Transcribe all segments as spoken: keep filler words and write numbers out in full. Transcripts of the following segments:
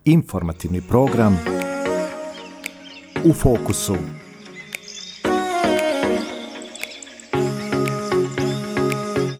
Informativni program U fokusu.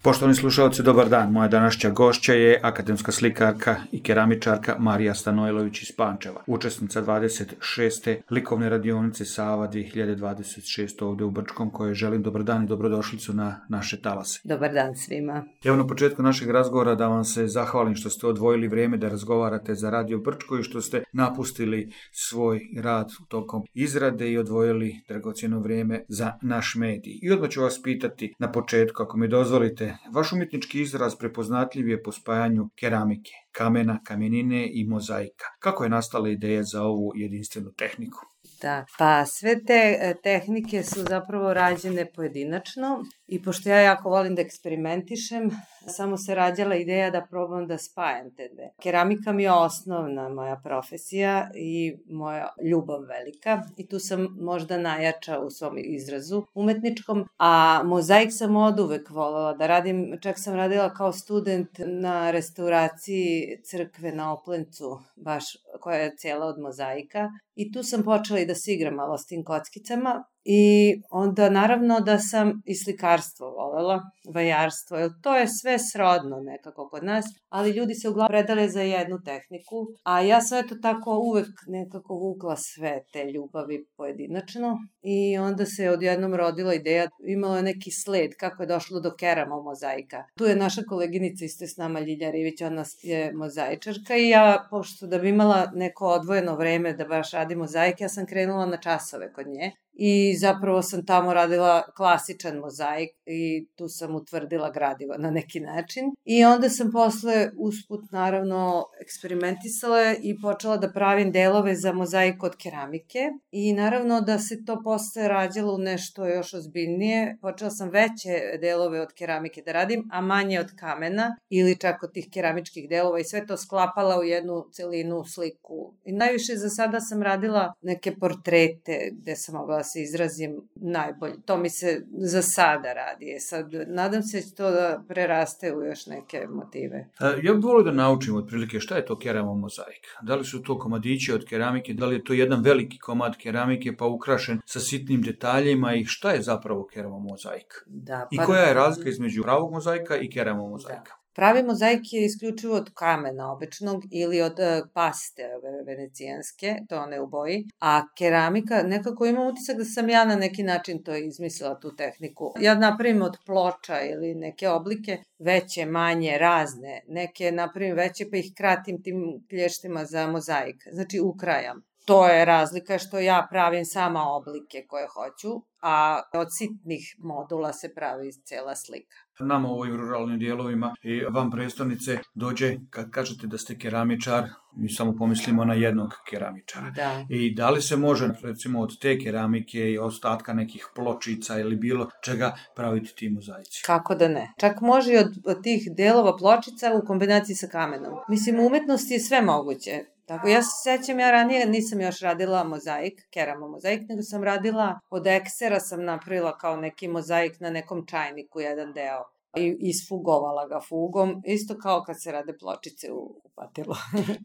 Poštovani slušalci, dobar dan. Moja današnja gošća je akademska slikarka i keramičarka Marija Stanojlović iz Pančeva, učesnica dvadeset šeste likovne radionice Sava dve hiljade dvadeset šeste ovdje u Brčkom, kojoj želim dobar dan i dobrodošlicu na naše talase. Dobar dan svima. Evo na početku našeg razgovora da vam se zahvalim što ste odvojili vrijeme da razgovarate za Radio Brčko i što ste napustili svoj rad tokom izrade i odvojili dragocjeno vrijeme za naš medij. I odmah ću vas pitati na početku, ako mi dozvolite, vaš umjetnički izraz prepoznatljiv je po spajanju keramike, kamena, kamenine i mozaika. Kako je nastala ideja za ovu jedinstvenu tehniku? Da, pa sve te tehnike su zapravo rađene pojedinačno i pošto ja jako volim da eksperimentišem, samo se rađala ideja da probam da spajam te dve. Keramika mi je osnovna moja profesija i moja ljubav velika i tu sam možda najjača u svom izrazu umetničkom, a mozaik sam oduvek voljela da radim, čak sam radila kao student na restauraciji crkve na Oplencu, baš koja je cijela od mozaika i tu sam počela i da se igram malo s tim kockicama. I onda naravno da sam i slikarstvo volela, vajarstvo, jer to je sve srodno nekako kod nas, ali ljudi se uglavnom predale za jednu tehniku, a ja sam eto tako uvek nekako vukla sve te ljubavi pojedinačno i onda se odjednom rodila ideja, imalo je neki sled kako je došlo do keramo mozaika. Tu je naša koleginica isto s nama, Ljilja Rivić, ona je mozaičarka i ja, pošto da bi imala neko odvojeno vreme da baš radi mozaik, ja sam krenula na časove kod nje. I zapravo sam tamo radila klasičan mozaik i tu sam utvrdila gradivo na neki način. I onda sam posle usput naravno eksperimentisala i počela da pravim delove za mozaik od keramike. I naravno da se to posle rađalo u nešto još ozbiljnije. Počela sam veće delove od keramike da radim, a manje od kamena ili čak od tih keramičkih delova i sve to sklapala u jednu celinu sliku. I najviše za sada sam radila neke portrete gde sam mogla se izrazim najbolje. To mi se za sada radi. Sad, nadam se da će to da preraste u još neke motive. Ja bih volio da naučim otprilike šta je to keramo mozaik. Da li su to komadići od keramike, da li je to jedan veliki komad keramike pa ukrašen sa sitnim detaljima i šta je zapravo keramo mozaik? Da, I pa... koja je razlika između pravog mozaika i keramo mozaika? Da. Pravi mozaik je isključivo od kamena običnog ili od uh, paste venecijanske, to one u boji, a keramika, nekako imam utisak da sam ja na neki način to izmislila, tu tehniku. Ja napravim od ploča ili neke oblike, veće, manje, razne, neke napravim veće pa ih kratim tim klještima za mozaik, znači ukrajam. To je razlika što ja pravim sama oblike koje hoću, a od sitnih modula se pravi cela slika. Nama u ovim ruralnim dijelovima i van prestonice dođe, kad kažete da ste keramičar, mi samo pomislimo na jednog keramičara. Da. I da li se može, recimo, od te keramike i ostatka nekih pločica ili bilo čega praviti ti mozaici? Kako da ne? Čak može i od, od tih delova pločica u kombinaciji sa kamenom. Mislim, u umetnosti je sve moguće. Tako, ja se sećam, ja ranije nisam još radila mozaik, keramo mozaik, nego sam radila od eksera, sam napravila kao neki mozaik na nekom čajniku, jedan deo. I isfugovala ga fugom, isto kao kad se rade pločice u, u patilu.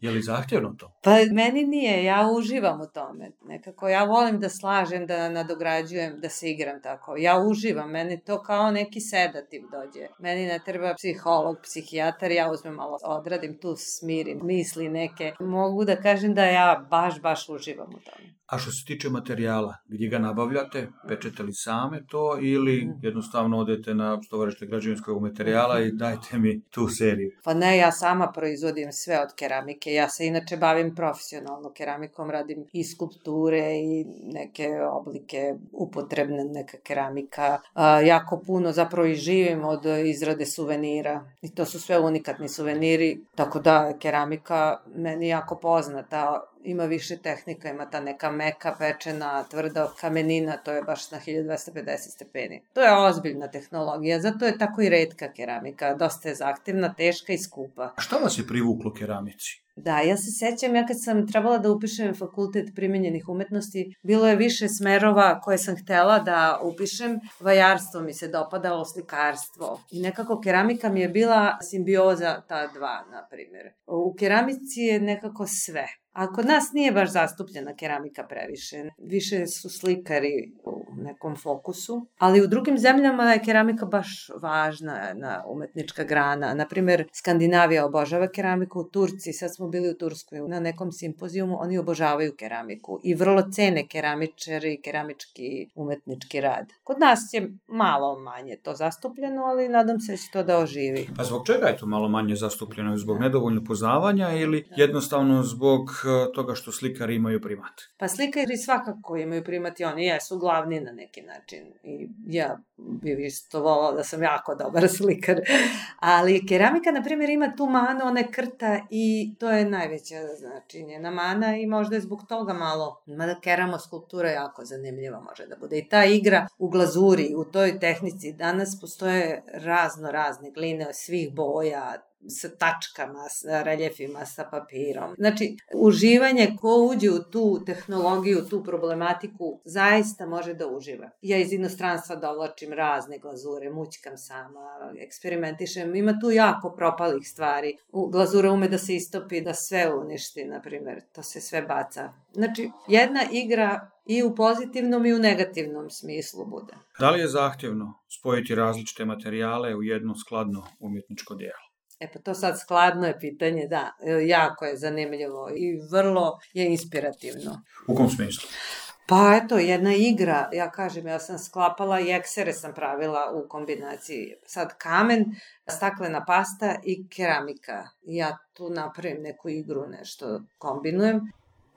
Je li zahtjevno to? Pa meni nije, ja uživam u tome. Nekako ja volim da slažem, da nadograđujem, da se igram tako. Ja uživam, meni to kao neki sedativ dođe. Meni ne treba psiholog, psihijatar, ja uzmem malo odradim, tu smirim misli neke. Mogu da kažem da ja baš, baš uživam u tome. A što se tiče materijala, gdje ga nabavljate, pečete li same to ili jednostavno odete na stovarište građevinskog materijala i dajte mi tu seriju? Pa ne, ja sama proizvodim sve od keramike. Ja se inače bavim profesionalno keramikom, radim i skulpture i neke oblike upotrebne, neka keramika. A, jako puno zapravo i živim od izrade suvenira i to su sve unikatni suveniri, tako da keramika meni jako poznata. Ima više tehnika, ima ta neka meka, pečena, tvrda kamenina, to je baš na hiljadu dvesta pedeset stepeni. To je ozbiljna tehnologija, zato je tako i retka keramika, dosta je zahtevna, teška i skupa. A šta vas je privuklo keramici? Da, ja se sećam, ja kad sam trebala da upišem fakultet primenjenih umetnosti, bilo je više smerova koje sam htela da upišem. Vajarstvo mi se dopadalo, slikarstvo. I nekako keramika mi je bila simbioza ta dva, na primjer. U keramici je nekako sve. A kod nas nije baš zastupljena keramika previše. Više su slikari u nekom fokusu, ali u drugim zemljama je keramika baš važna na umetnička grana. Naprimer, Skandinavija obožava keramiku, Turci, sad smo bili u Turskoj na nekom simpozijumu, oni obožavaju keramiku i vrlo cene keramičari i keramički umetnički rad. Kod nas je malo manje to zastupljeno, ali nadam se da će to da oživi. A zbog čega je to malo manje zastupljeno? Zbog nedovoljno poznavanja ili jednostavno zbog toga što slikari imaju primat? Pa slikari svakako imaju primat i oni jesu glavni na neki način. I ja bih isto volala da sam jako dobar slikar. Ali keramika, na primjer, ima tu manu, ona je krta i to je najveća, znači, njena mana i možda je zbog toga malo, mada keramo skulptura je jako zanimljiva može da bude. I ta igra u glazuri, u toj tehnici, danas postoje razno razne gline svih boja, sa tačkama, sa reljefima, sa papirom. Znači, uživanje ko uđe u tu tehnologiju, tu problematiku, zaista može da uživa. Ja iz inostranstva dovlačim razne glazure, mućkam sama, eksperimentišem. Ima tu jako propalih stvari. Glazura ume da se istopi, da sve uništi, na primjer. To se sve baca. Znači, jedna igra i u pozitivnom i u negativnom smislu bude. Da li je zahtjevno spojiti različite materijale u jedno skladno umjetničko djelo? E pa to sad skladno je pitanje, da, jako je zanimljivo i vrlo je inspirativno. U kom smislu? Pa eto, jedna igra, ja kažem, ja sam sklapala i eksere sam pravila u kombinaciji. Sad kamen, staklena pasta i keramika. Ja tu napravim neku igru, nešto kombinujem.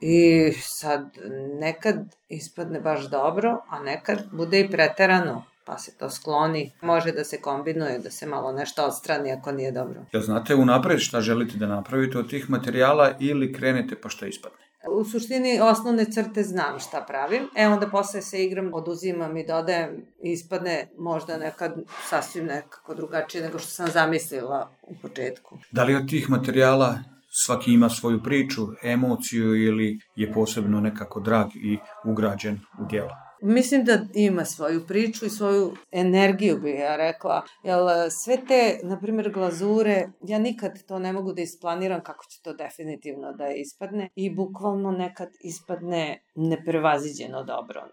I sad nekad ispadne baš dobro, a nekad bude i preterano. Pa se to skloni, može da se kombinuje, da se malo nešto odstrani ako nije dobro. Jel znate unapred šta želite da napravite od tih materijala ili krenete pa šta ispadne? U suštini osnovne crte znam šta pravim, e onda posle se igram, oduzimam i dodajem i ispadne možda nekad sasvim nekako drugačije nego što sam zamislila u početku. Da li od tih materijala svaki ima svoju priču, emociju ili je posebno nekako drag i ugrađen u djelo? Mislim da ima svoju priču i svoju energiju, bih ja rekla. Jer sve te, na primjer, glazure, ja nikad to ne mogu da isplaniram kako će to definitivno da ispadne i bukvalno nekad ispadne neprevaziđeno dobro.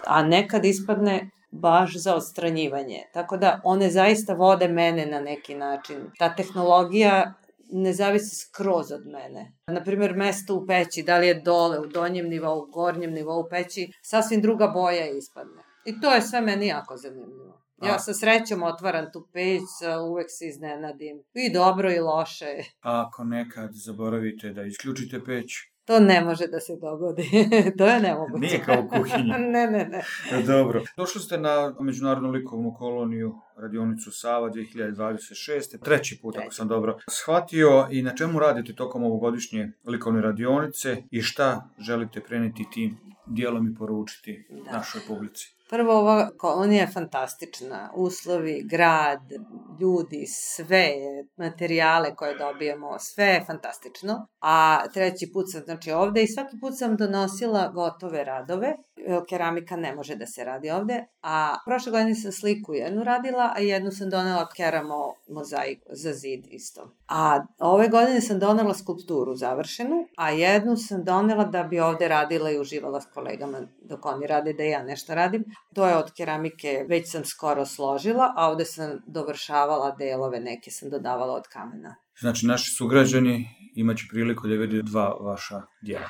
A nekad ispadne baš za odstranjivanje. Tako da one zaista vode mene na neki način. Ta tehnologija ne zavisi skroz od mene. Naprimjer, mesto u peći, da li je dole, u donjem nivou, u gornjem nivou peći, sasvim druga boja ispadne. I to je sve meni jako zanimljivo. Ja sa srećom otvaram tu peć, uvek se iznenadim. I dobro i loše. A ako nekad zaboravite da isključite peć? To ne može da se dogodi. To je nemoguće. Nije kao u kuhinji. ne, ne, ne. Dobro. Došli ste na Međunarodnu likovnu koloniju radionicu Sava dve hiljade dvadeset šeste. Treći put, ako sam dobro shvatio. I na čemu radite tokom ovogodišnje likovne radionice i šta želite preneti tim dijelom i poručiti da. našoj publici? Prvo, ova kolonija je fantastična. Uslovi, grad, ljudi, sve, materijale koje dobijemo, sve je fantastično. A treći put sam znači ovde i svaki put sam donosila gotove radove. Keramika ne može da se radi ovde. A prošle godine sam sliku jednu radila, a jednu sam donela keramo mozaiku za zid isto. A ove godine sam donela skulpturu završenu, a jednu sam donela da bi ovde radila i uživala s kolegama dok oni rade da ja nešto radim. To je od keramike, već sam skoro složila, a ovde sam dovršavala delove, neke sam dodavala od kamena. Znači, naši sugrađani imaće priliku da vidi dva vaša djela.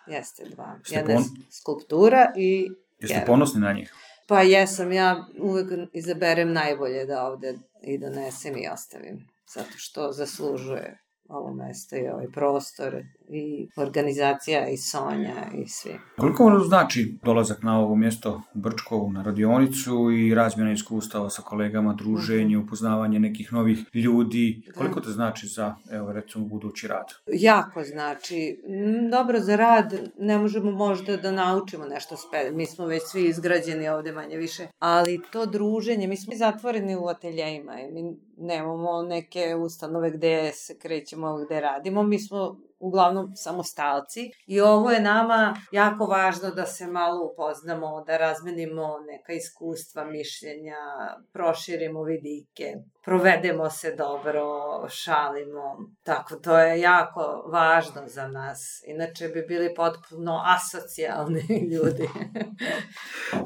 Jeste, dva. Jedna pon... skulptura i... Jeste keram. Ponosni na njih? Pa jesam, ja uvek izaberem najbolje da ovde i donesem i ostavim, zato što zaslužuje ovo mesto i ovaj prostor i organizacija i Sonja i svi. Koliko vam znači dolazak na ovo mjesto u Brčkovu, na radionicu i razmjena iskustava sa kolegama, druženje, upoznavanje nekih novih ljudi? Koliko to znači za, evo recimo, budući rad? Jako znači. Dobro, za rad ne možemo možda da naučimo nešto spet. Mi smo već svi izgrađeni ovde manje više, ali to druženje, mi smo zatvoreni u ateljejima i mi nemamo neke ustanove gde se krećemo, gde radimo. Mi smo uglavnom samostalci i ovo je nama jako važno da se malo upoznamo, da razmenimo neka iskustva, mišljenja, proširimo vidike, provedemo se dobro, šalimo. Tako, to je jako važno za nas. Inače bi bili potpuno asocijalni ljudi.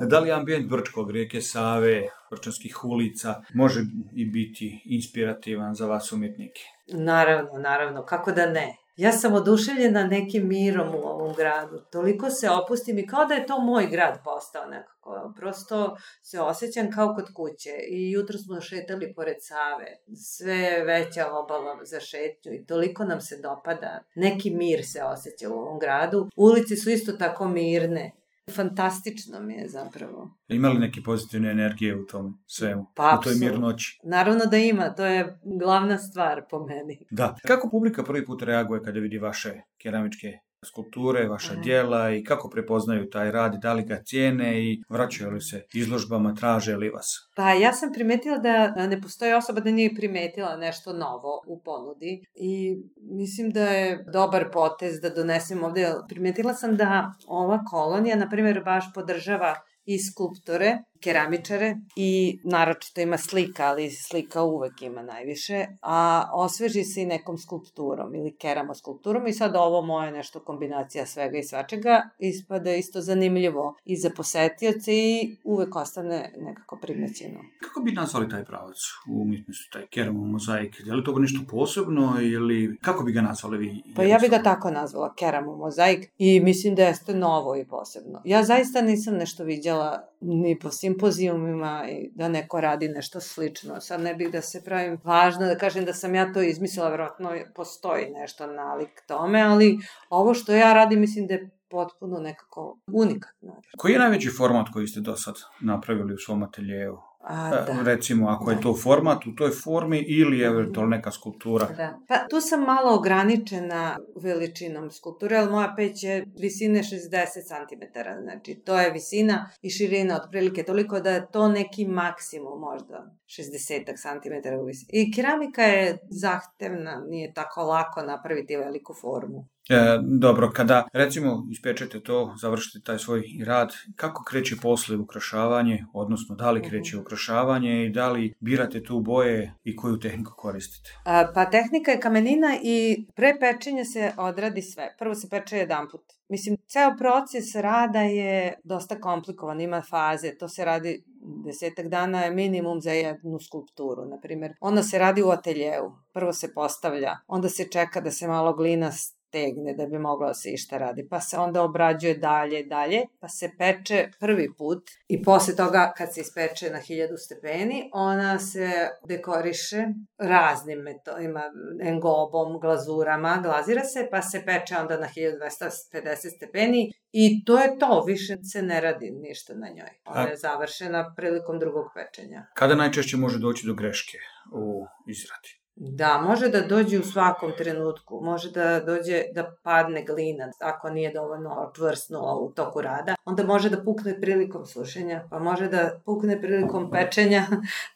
Da li ambijent Brčkog, rijeke Save, brčanskih ulica može i biti inspirativan za vas umjetnike? Naravno, naravno, kako da ne. Ja sam oduševljena nekim mirom u ovom gradu. Toliko se opustim i kao da je to moj grad postao nekako. Prosto se osjećam kao kod kuće. I jutro smo šetali pored Save. Sve veća obala za šetnju i toliko nam se dopada. Neki mir se osjeća u ovom gradu. Ulici su isto tako mirne. Fantastično mi je zapravo. Ima li neke pozitivne energije u tom svemu? Pa, u toj mirnoći? Naravno da ima, to je glavna stvar po meni. Da. Kako publika prvi put reaguje kada vidi vaše keramičke skulpture, vaša Aha. djela i kako prepoznaju taj rad, da li ga cijene i vraćaju li se izložbama, traže li vas? Pa ja sam primetila da ne postoji osoba da nije primetila nešto novo u ponudi i mislim da je dobar potez da donesem ovde. Primetila sam da ova kolonija, na primjer, baš podržava i skulptore, keramičare i naročito ima slika, ali slika uvek ima najviše, a osveži se i nekom skulpturom ili keramoskulpturom i sad ovo moje nešto kombinacija svega i svačega ispada isto zanimljivo i za posetioce i uvek ostane nekako primećeno. Kako bi nazvali taj pravac u umjetnosti, taj keramomozaik? Je li to nešto posebno ili kako bi ga nazvali vi? Pa ja bi ga tako nazvala, keramomozaik i mislim da jeste novo i posebno. Ja zaista nisam nešto viđala ni po simpozijumima i da neko radi nešto slično. Sad ne bih da se pravim važno da kažem da sam ja to izmislila, vjerojatno postoji nešto nalik tome, ali ovo što ja radim mislim da je potpuno nekako unikatno. Koji je najveći format koji ste do sad napravili u svom ateljevu? A, da. Recimo, ako je to format u toj formi ili eventualno neka skulptura? Da. Pa tu sam malo ograničena veličinom skulpture, ali moja peć je visine šezdeset centimetara, znači to je visina i širina otprilike toliko da je to neki maksimum možda šezdeset centimetara u visini. I keramika je zahtevna, nije tako lako napraviti veliku formu. E, dobro, kada recimo ispečete to, završite taj svoj rad, kako kreće posle ukrašavanje, odnosno da li kreće ukrašavanje i da li birate tu boje i koju tehniku koristite? A, pa tehnika je kamenina i pre pečenja se odradi sve. Prvo se peče jedan put. Mislim, ceo proces rada je dosta komplikovan, ima faze, to se radi desetak dana je minimum za jednu skulpturu, na primjer. Ona se radi u ateljevu, prvo se postavlja, onda se čeka da se malo glina tegne da bi moglo da se išta radi, pa se onda obrađuje dalje, dalje, pa se peče prvi put i posle toga kad se ispeče na hiljadu stepeni, ona se dekoriše raznim metodima, engobom, glazurama, glazira se, pa se peče onda na hiljadu dvesta pedeset stepeni i to je to, više se ne radi ništa na njoj. Ona je završena prilikom drugog pečenja. Kada najčešće može doći do greške u izradi? Da, može da dođe u svakom trenutku, može da dođe da padne glina, ako nije dovoljno čvrsnula u toku rada, onda može da pukne prilikom sušenja, pa može da pukne prilikom pečenja,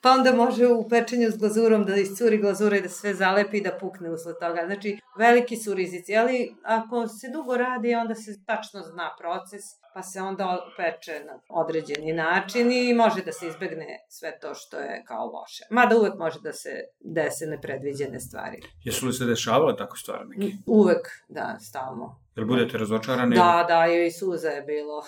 pa onda može u pečenju s glazurom da iscuri glazura i da sve zalepi i da pukne usled toga. Znači, veliki su rizici, ali ako se dugo radi, onda se tačno zna proces, pa se onda peče na određeni način i može da se izbegne sve to što je kao loše. Mada uvek može da se dese nepredviđene stvari. Jesu li se dešavale tako stvari neki? Uvek, da, stalno. Jel budete razočarani? Da, da, i suza je bilo.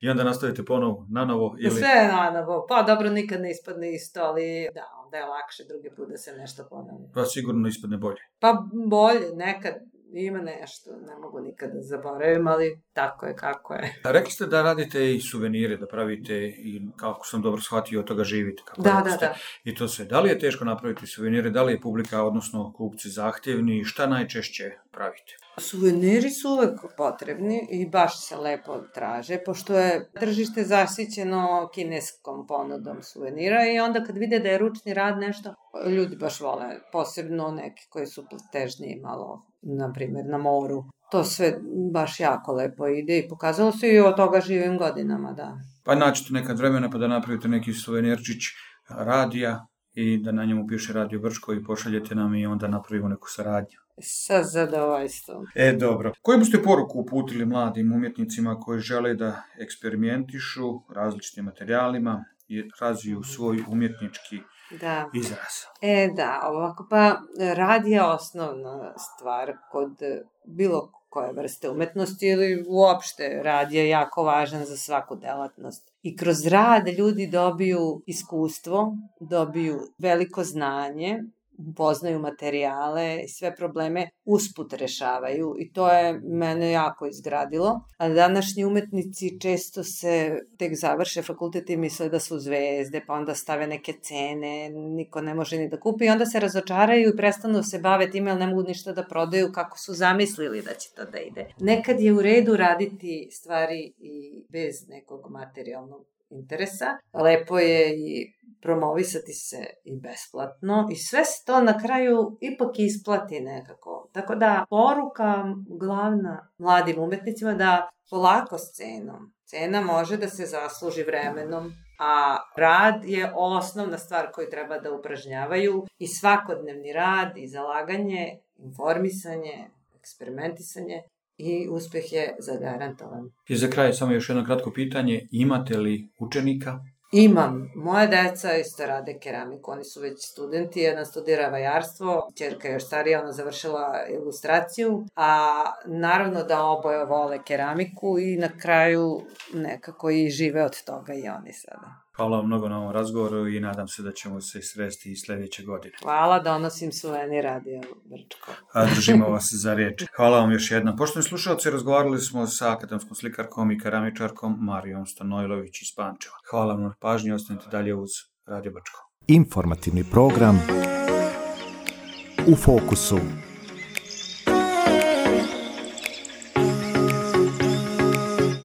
I onda nastavite ponovo, nanovo? Ili... Sve nanovo. Pa dobro, nikad ne ispadne isto, ali da, onda je lakše drugi put da se nešto ponovi. Pa sigurno ispadne bolje. Pa bolje, nekad. Ima nešto, ne mogu nikada zaboravim, ali tako je kako je. A rekli ste da radite i suvenire, da pravite i, kako sam dobro shvatio, od toga živite. Kako da, da, da. I to sve. Da li je teško napraviti suvenire, da li je publika, odnosno kupci zahtjevni, šta najčešće pravite? Suveniri su uvek potrebni i baš se lepo traže, pošto je tržište zasićeno kineskom ponudom suvenira i onda kad vide da je ručni rad nešto, ljudi baš vole, posebno neki koji su težniji malo, na primjer na moru. To sve baš jako lepo ide i pokazalo se i od toga živim godinama, da. Pa naćete nekad vremena pa da napravite neki suvenirčić radija i da na njemu piše Radio Brčko i pošaljete nam i onda napravimo neku saradnju. Sa zadovoljstvom. E, dobro. Koju biste poruku uputili mladim umjetnicima koji žele da eksperimentišu različitim materijalima i razviju svoj umjetnički Da. izraz? E, da, ovako, pa rad je osnovna stvar kod bilo koje vrste umetnosti ili uopšte rad je jako važan za svaku delatnost. I kroz rad ljudi dobiju iskustvo, dobiju veliko znanje, upoznaju materijale i sve probleme usput rešavaju i to je mene jako izgradilo. A današnji umetnici često se tek završe fakultet i misle da su zvezde, pa onda stave neke cene, niko ne može ni da kupi i onda se razočaraju i prestanu se bave time, ali ne mogu ništa da prodaju kako su zamislili da će to da ide. Nekad je u redu raditi stvari i bez nekog materijalnog interesa. Lepo je i promovisati se i besplatno i sve se to na kraju ipak isplati nekako. Tako da poruka glavna mladim umetnicima da polako s cenom. Cena može da se zasluži vremenom, a rad je osnovna stvar koju treba da upražnjavaju i svakodnevni rad i zalaganje, informisanje, eksperimentisanje i uspeh je zagarantovan. I za kraj samo još jedno kratko pitanje, imate li učenika? Imam. Moje deca isto rade keramiku, oni su već studenti, jedan studira vajarstvo, ćerka je još starija, ona završila ilustraciju, a naravno da oboje vole keramiku i na kraju nekako i žive od toga i oni sada. Hvala vam mnogo na ovom razgovoru i nadam se da ćemo se sresti i sledeće godine. Hvala, donosim suvenir Radio Brčko. A držimo vas za riječ. Hvala vam još jednom. Poštovani slušalci, razgovarali smo sa akademskom slikarkom i keramičarkom Marijom Stanojlović iz Pančeva. Hvala vam na pažnji, ostanite dalje uz Radio Brčko. Informativni program U fokusu.